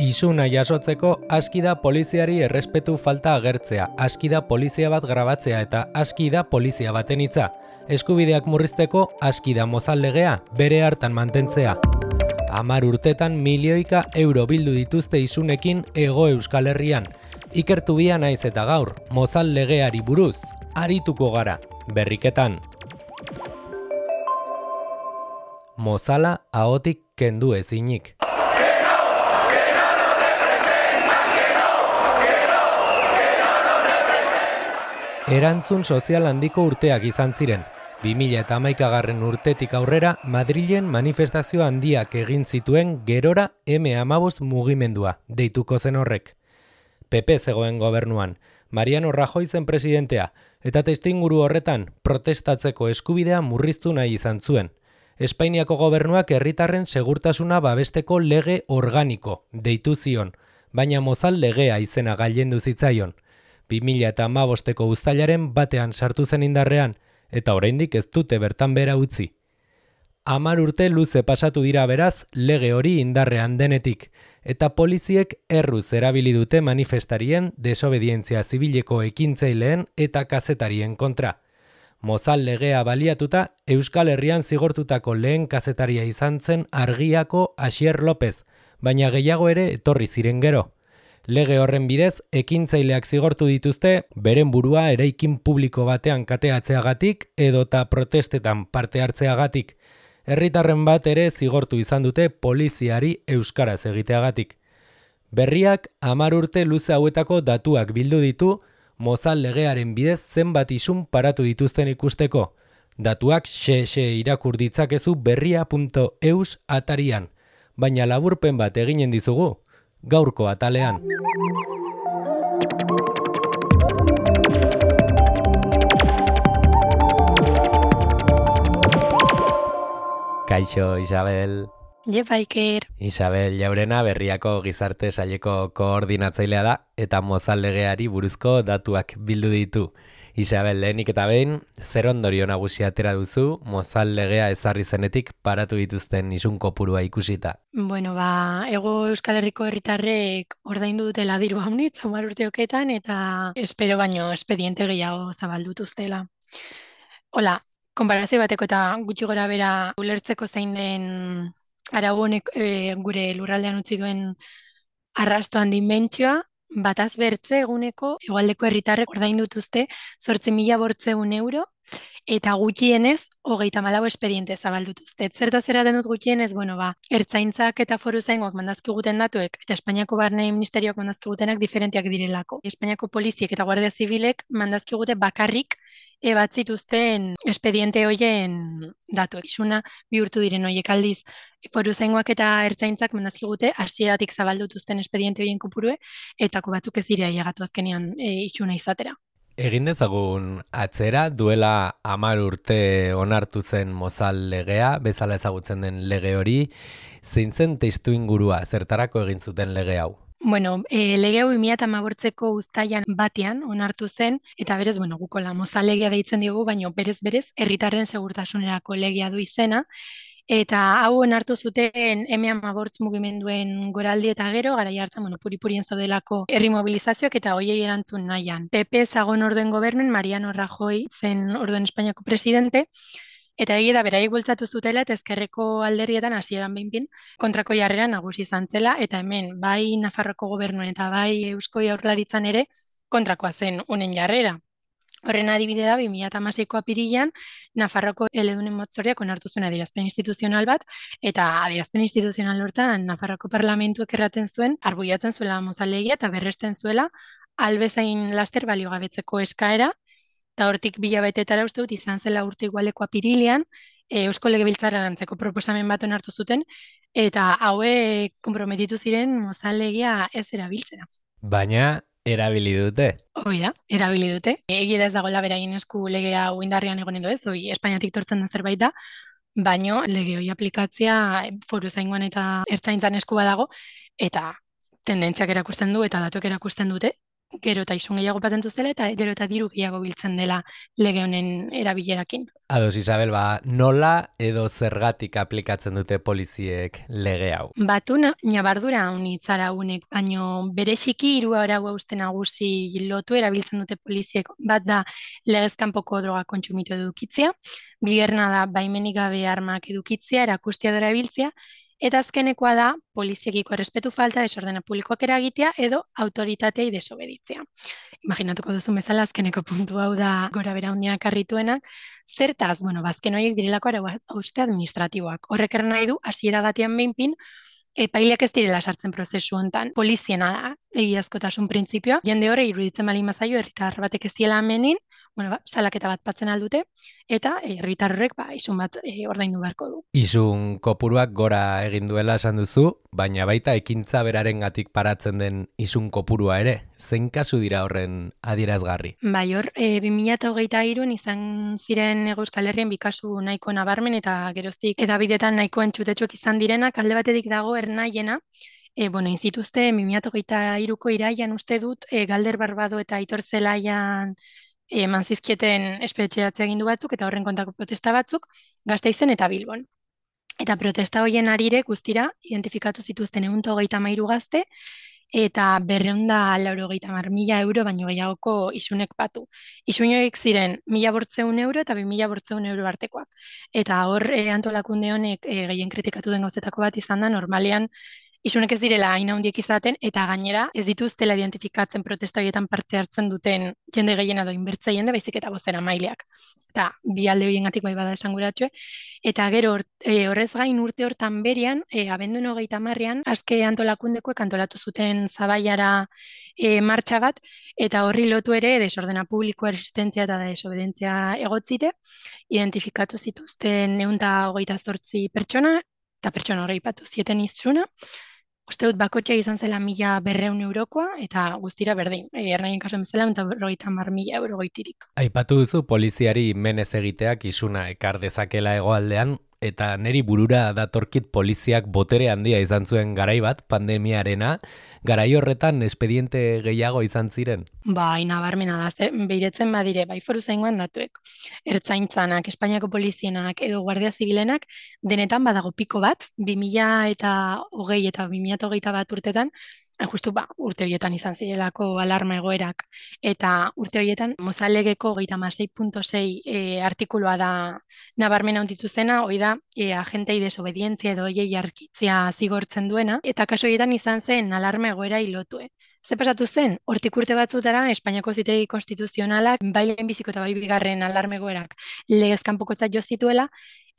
Isuna jasotzeko aski da poliziari errespetu falta agertzea, aski da polizia bat grabatzea eta aski da polizia baten hitza. Eskubideak murrizteko aski da mozal legea bere hartan mantentzea. 10 urtetan milioika euro bildu dituzte isunekin Hego Euskal Herrian. Ikertu bia naiz eta gaur, mozal legeari buruz, arituko gara, berriketan. Mozala ahotik kendu ezinik. Erantzun sozial handiko urteak izan ziren. 2011 urtetik aurrera Madrilen manifestazio handiak egin zituen gerora M15 mugimendua, deituko zen horrek. PP zegoen gobernuan, Mariano Rajoy zen presidentea, eta testuinguru horretan protestatzeko eskubidea murriztu nahi izan zuen. Espainiako gobernuak herritarren segurtasuna babesteko lege organiko, deitu zion, baina mozal legea izena gailendu zitzaion. 2015ko uztailaren batean sartu zen indarrean, eta oraindik ez dute bertan behera utzi. 10 urte luze pasatu dira beraz lege hori indarrean denetik, eta poliziek erruz erabili dute manifestarien, desobedientzia zibileko ekintzaileen eta kazetarien kontra. Mozal legea baliatuta, Euskal Herrian zigortutako lehen kazetaria izan zen Argiako Asier López, baina gehiago ere etorri ziren gero. Lege horren bidez, ekintzaileak zigortu dituzte, beren burua eraikin publiko batean kateatzeagatik edota protestetan parte hartzeagatik. Herritarren bat ere zigortu izan dute poliziari euskaraz egiteagatik. Berriak 10 urte luze hauetako datuak bildu ditu, mozal legearen bidez zenbat isun paratu dituzten ikusteko. Datuak xe irakur ditzakezu berria.eus atarian, baina laburpen bat eginen dizugu, gaurko atalean. Kaixo, Isabel. Jepa, Iker. Isabel Jaurena Berriako Gizarte Saileko koordinatzailea da eta mozal legeari buruzko datuak bildu ditu. Isabel, lehenik eta behin, zer ondorio nagusia atera duzu mozal legea ezarri zenetik paratu dituzten isun kopurua ikusita? Bueno, Hego Euskal Herriko herritarrek ordaindu dutela diru haunitz, 10 urteoketan, eta espero baino espediente gehiago zabaldutuztela. Hola, konparazio bateko eta gutxi gora bera ulertzeko zein den arau honek gure lurraldean utzi duen arrastoan dimentsioa, bataz bertze eguneko hegoaldeko herritarrek ordaindu dituzte 8.800 euro eta gutxienez 34 espediente zabaldutuzte. Zertaz eraten dut gutxienez, ertzaintzak eta foruzaingoak mandazkiguten datuek eta Espainiako Barne Ministerioak mandazkigutenak diferenteak direlako. Espainiako poliziek eta Guardia Zibilek mandazkigute bakarrik batzituzten espediente hoien datuek. Isuna bihurtu diren hoiek aldiz. Foruzaingoak eta ertzaintzak mandazkigute hasieratik zabaldutuzten espediente hoien kopurue, eta batzuk ez dira ailegatu azkenean isuna izatera. Egin dezagun atzera, duela 10 urte onartu zen mozal legea, bezala ezagutzen den lege hori, zein zen testuingurua, zertarako egin zuten lege hau? Lege hau 2015ko uztailan batean onartu zen, eta berez, gukola mozal legea deitzen diogu, baina berez herritarren segurtasunerako legea du izena, eta hau onartu zuten M15 mugimenduen goraldi eta gero, garai hartan, puri-purien zaudelako herri mobilizazioak eta hoiei erantzun nahian. PP zagon orduen gobernuen, Mariano Rajoy zen orduen Espainiako presidente, eta egia da beraiek bultzatu zutela eta ezkerreko alderrietan hasieran behinpin kontrako jarrera nagusi izan zela, eta hemen bai Nafarroako gobernuen eta bai Eusko Jaurlaritzan ere kontrakoa zen honen jarrera. Horren adibide da, 2016ko apirilean, Nafarroako eledunen batzordeak onartu zuen adierazpen instituzional bat, eta adierazpen instituzional hortan Nafarroako parlamentuak erraten zuen, arbuiatzen zuela mozal legea eta berresten zuela albezain laster baliogabetzeko eskaera, eta hortik bilabetetara uste dut izan zela urte igualeko apirilean, Eusko Legebiltzarrean antzeko proposamen bat onartu zuten, eta hauek konprometitu ziren mozal legea ez erabiltzera. Baina erabili dute. Hoi da, erabili dute. Egia da ez dagoela beraien esku legea indarrean egonen edo ez, Espainiatik tortzen den zerbait da, baino lege hori aplikatzea foruzaingoan eta ertzaintzan esku badago, eta tendentziak erakusten du eta datuak erakusten dute, gero eta isun gehiago patentuz dela eta gero eta diru gehiago biltzen dela lege honen erabilerakin. Ados, Isabel, nola edo zergatik aplikatzen dute poliziek lege hau? Batu nabardura unitzara unek, baino bereziki hiru arau hauste nagusi lotu erabiltzen dute poliziek. Bat da legez kanpoko droga kontsumitu edukitzea, bigarrena da baimenik gabe armak edukitzea, erakustiadora erabiltzea, eta azkenekoa da poliziekiko errespetu falta, desordena publikoak eragitea edo autoritateei desobeditzea. Imaginatuko duzu bezala azkeneko puntu hau da gora bera handiak arrituenak. Zertaz, bueno, bazken horiek direlako arau hauste administratiboak. Horrek nahi du, hasiera batean behinpin, epaileak ez direla sartzen prozesu hontan. Poliziena da, egiazkotasun printzipioa. Jende horre iruditzen bali mazaio, herritar batek ez diela amenin, bueno, salaketa bat patzen aldute, eta herritar horrek isun bat ordaindu beharko du. Isun kopuruak gora egin duela esan duzu, baina baita ekintza berarengatik paratzen den isun kopurua ere. Zein kasu dira horren adierazgarri? Bai, hor, 2023an izan ziren Euskal Herrien bikasu nahiko nabarmen eta geroztik edabidetan nahiko entzutetsuak izan direnak, alde batetik dago ernaiena, bueno, inzituzte 2023ko iraian uste dut, Galder Barbado eta Aitor Zelaian eman zizkieten espetxeatzea egindu batzuk eta horren kontako protesta batzuk, Gasteizen eta Bilbon. Eta protesta horien arire guztira identifikatu zituzten 133 gazte, eta 290.000 euro baino gehiagoko isunek batu. Isun horiek ziren 1.800 euro eta 2.800 euro artekoak. Eta hor antolakunde honek gehien kritikatu den gauzetako bat izan da, normalean isunek ez direla hain handiek izaten, eta gainera ez dituztela identifikatzen protesta horietan parte hartzen duten jende gehiena edo inbertze jende, baizik eta bozera maileak. Eta bi alde horiengatik bai bada esanguratxue. Eta gero horrez gain urte hortan berian, abenduan 30ean, aske antolakundekoek antolatu zuten Zabaiara martxa bat, eta horri lotu ere desordena publiko resistentzia eta desobedentzia egotzite, identifikatu zituzten 128 pertsona, eta pertsona horrei patu zieten iztsuna. Uste dut bakotxa izan zela 1.200 eurokoa, eta guztira berdin. Ernaien kasuan bezala, 150.000 euro goitirik. Aipatu duzu poliziari menez egiteak isuna ekar dezakela hegoaldean, eta neri burura datorkit poliziak botere handia izan zuen garai bat, pandemiarena, garai horretan espediente gehiago izan ziren? Bai, nabarmena da, behiretzen badire, bai foru zaingoan datuek. Ertzaintzanak, Espainiako polizienak edo Guardia Zibilenak, denetan badago piko bat, 2020 eta 2021 urtetan, justu urte horietan izan zirelako alarma egoerak, eta urte horietan Mozalegeko 36.6 artikuloa da nabarmena onditu zena, hoi da agentei desobedientzia edo hoiei arkitzea zigortzen duena, eta kaso horietan izan zen alarma egoera hilotue. Ze pasatu zen, hortik urte batzutara Espainiako Auzitegi Konstituzionalak bai lehenbiziko eta bai bigarren alarma egoerak legez kanpokotzat jo zituela,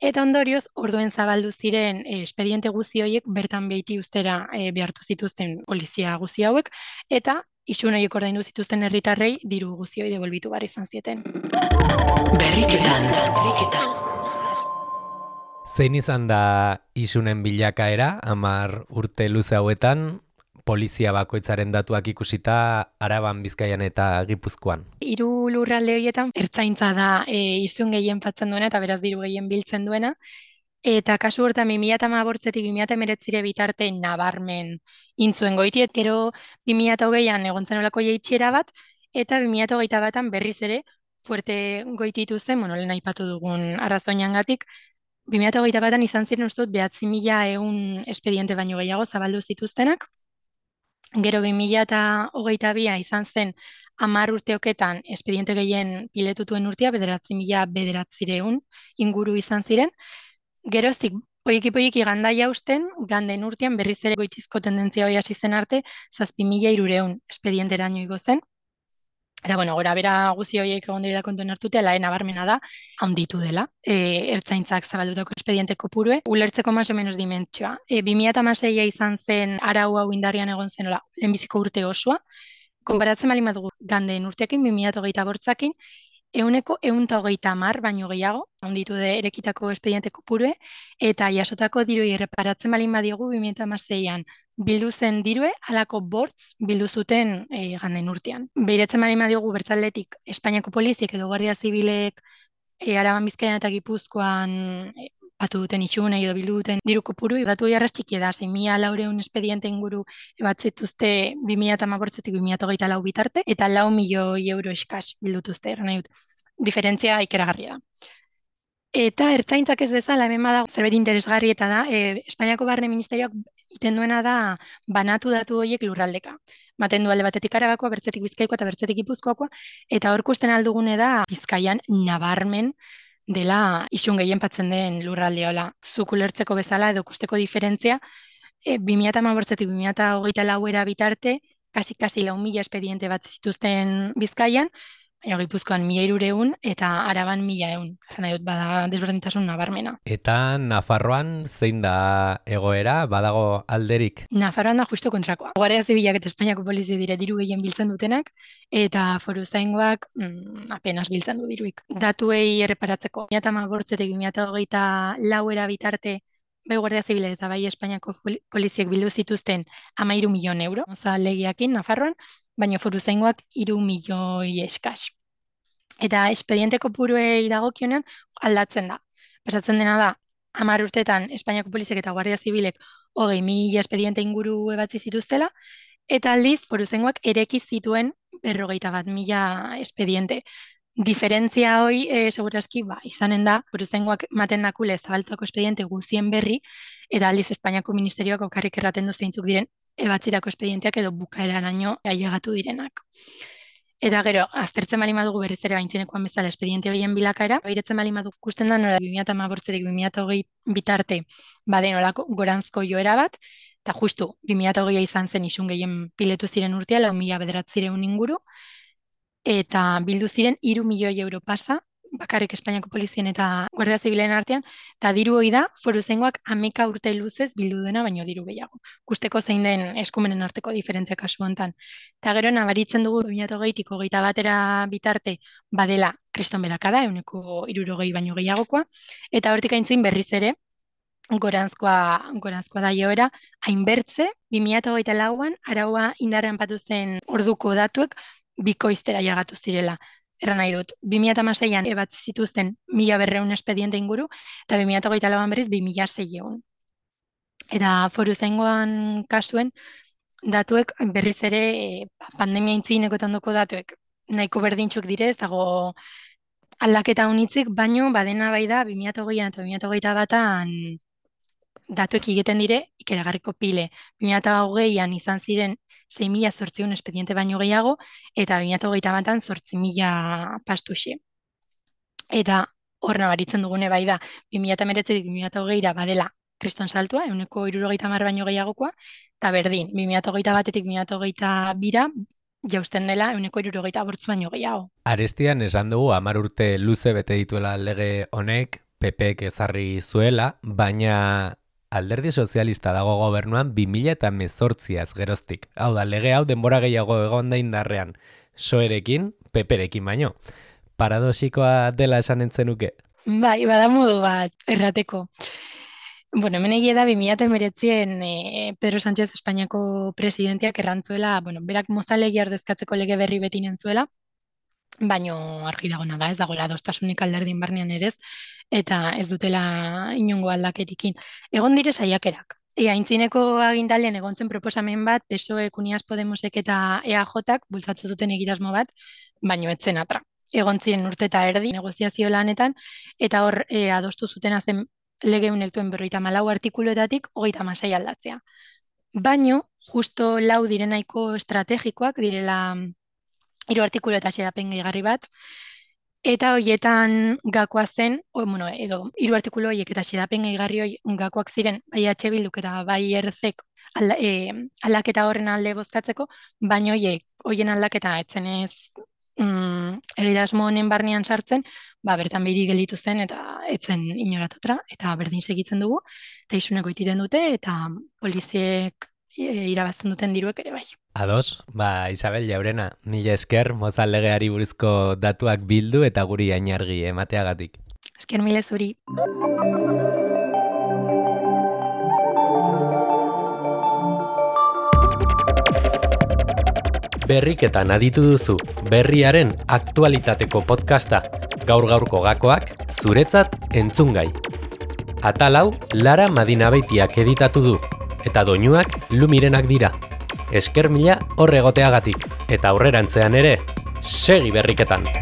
eta ondorioz, orduen zabaldu ziren espediente guzi horiek bertan behiti ustera behartu zituzten polizia guzi hauek, eta isun horiek ordaindu zituzten herritarrei diru guzi hori devolbitu behar izan zieten. Berriketan. Zein izan da isunen bilakaera, 10 urte luze hauetan, polizia bakoitzaren datuak ikusita Araban, Bizkaian eta Gipuzkoan? 3 lurralde horietan ertzaintza da isun gehien fatzen duena eta beraz diru gehien biltzen duena. Eta kasu hortan 2018tik 2019 bitarte nabarmen intzuen goitiet, gero 2020an egon zen olako jaitxiera bat, eta 2021an berriz ere fuerte goititu zen, lehen aipatu dugun arrazoinangatik, 2021an izan ziren uste dut 9.100 espediente baino gehiago zabaldu zituztenak. Gero 2022 izan zen 10 urteoketan espediente gehien piletutuen urtea, 9.900 inguru izan ziren. Geroztik, poiki gandaia usten, ganden urtean berriz ere goitizko tendentzia hori hasi zen arte, 7.300 espedienteraino igo zen. Eta, gora bera guzi horiek egon direla kontuen hartutea, lehen nabarmena da, handitu dela, ertzaintzak zabaldutako espediente kopurue, ulertzeko más o menos dimentsioa. 2016a izan zen arau hau indarrian egon zen, lehenbiziko urte osoa, konparatzen bali madugu ganden urteakin, 2028akin, 130 baino gehiago, handitu de erekitako espediente kopurue, eta jasotako dirui erreparatzen bali madiogu 2016an, bildu zen dirue, alako bortz bildu zuten ganden urtean. Behiretzen bali madiogu bertzaldetik Espainiako poliziek edo Guardia Zibilek Araban, Bizkaian eta Gipuzkoan batu duten itxunei edo bildu duten diru kopuru, datu jarraz txiki da, 6.400 espediente inguru bat zituzte 2018-tik 2024 bitarte, eta 4 milioi euro eskas bildutuzte, nahi dut. Diferentzia ikeragarria da. Eta ertzaintzak ez bezala, hemen badago zerbait interesgarri eta da, Espainiako Barne Ministerioak egiten duena da banatu datu horiek lurraldeka. Baten du alde batetik Arabakoa, bertzetik Bizkaikoa eta bertzetik Gipuzkoakoa, eta hor ikusten aldugune da Bizkaian nabarmen dela isun gehien patzen den lurraldea, hola, zuk ulertzeko bezala edo ikusteko diferentzia, 2018-tik 2024 bitarte, kasi 4.000 espediente bat zituzten Bizkaian, Gipuzkoan 1.300 eta Araban 1.100. Nahi dut, bada desberdintasun nabarmena. Eta Nafarroan zein da egoera, badago alderik? Nafarroan da justo kontrakoa. Guardia Zibilak eta Espainiako polizia dire diru gehien biltzen dutenak, eta foruzaingoak apenas biltzen du diruik. Datuei erreparatzeko 2018-tik 2024 bitarte, bai Guardia Zibila eta bai Espainiako poliziek bildu zituzten 13 milioi euro, legiakin Nafarroan, baina foruzaingoak 3 milioi eskas. Eta espediente kopuruei dagokionean aldatzen da. Pasatzen dena da, 10 urtetan Espainiako poliziek eta Guardia Zibilek 20.000 espediente inguru ebatzi zituztela, eta aldiz foruzaingoak ereki zituen 51.000 espediente. Diferentzia hoi, segurazki, izanen da, foruzaingoak maten dakule zabaltzako espediente guzien berri, eta aldiz Espainiako Ministerioak okarrik erraten du zeintzuk diren ebatzirako espedienteak edo bukaeraraino ailegatu direnak. Eta gero, aztertzen bali madugu berriz ere baintzinekoan bezala espediente horien bilakaera, bairetzen bali madugu ikusten da nora 2018-tik 2020 bitarte baden olako goranzko joera bat, eta justu 2020 izan zen isun gehien piletu ziren urtea, 4.900 inguru, eta bildu ziren 3 milioi euro pasa, bakarrik Espainiako polizien eta Guardia Zibilen artean, eta diru hori da, foruzaingoak 11 urte luzez bildu dena baino diru gehiago. Kusteko zein den eskumenen arteko diferentzia kasu hontan. Eta gero nabaritzen dugu 2020-tik 21 bitarte badela kriston berakada, 160 baino gehiagokoa, eta hortik aintzin berriz ere, goranzkoa da joera, hainbertze, 2024an araua indarrean patu zen orduko datuek bikoiztera jagatu zirela. Erran nahi dut, 2016an ebatzi zituzten 1.200 espediente inguru, eta 2024an berriz 2.600. Eta foruzaingoan kasuen, datuek berriz ere pandemia intzinekoetan doko datuek nahiko berdintxuk direz, dago aldaketa honitzik, baino badena bai da 2020an eta 2021an datuek egiten dire ikeragarriko pile. 2020an izan ziren 6.800 espediente baino gehiago, eta 2021an 8.000 pastuxe. Eta hor nabaritzen dugune bai da, 2019-tik 2020 badela kriston saltua, 170 baino gehiagokoa, eta berdin, 2021-tik 2022 jausten dela 168 baino gehiago. Arestian esan dugu 10 urte luze bete dituela lege honek, PPek ezarri zuela, baina Alderdi Sozialista dago gobernuan 2018az geroztik. Hau da, lege hau denbora gehiago egon da indarrean, PSOErekin, PPrekin baino. Paradoxikoa dela esan entzenuke? Bai, bada modu bat errateko. Bueno, hemen egia da 2019an Pedro Sánchez Espainiako presidenteak errantzuela, berak mozalegi ordezkatzeko lege berri beti nentzuela, baino argi dagona da, ez dagoela adostasunik alderdin barnean ere ez, eta ez dutela inongo aldaketikin. Egon dire saiakerak. Aintzineko agindaldian egon zen proposamen bat, PSOE, Unidas Podemosek eta EAJak bultzatzen zuten egitasmo bat, baino ez zen atra. Egon ziren urte eta erdi negoziazio lanetan, eta hor adostu zutena zen lege unektuen 54 artikuluetatik 36 aldatzea. Baino, justo 4 direnaiko estrategikoak direla 3 artikulu eta xedapen gehigarri bat, eta horietan gakoa zen, edo 3 artikulu horiek eta xedapen gehigarri gakoak ziren bai H Bilduk eta bai ERZek aldaketa horren alde bozkatzeko, baino horien aldaketa etzenez egitasmo honen barnean sartzen, bertan behiri gelditu zen eta etzen inoratatra, eta berdin segitzen dugu, eta isuneko ititen dute, eta poliziek irabazten duten diruek ere bai. Ados, Isabel Jaurena, mila esker mozal legeari buruzko datuak bildu eta guri ainargi emateagatik. Esker mila zuri. Berriketan aditu duzu, berriaren aktualitateko podcasta, gaur-gaurko gakoak, zuretzat entzungai. Atal hau Lara Madinabeitiak editatu du, eta doinuak Lumirenak dira. Esker mila hor egoteagatik, eta aurrerantzean ere, segi berriketan!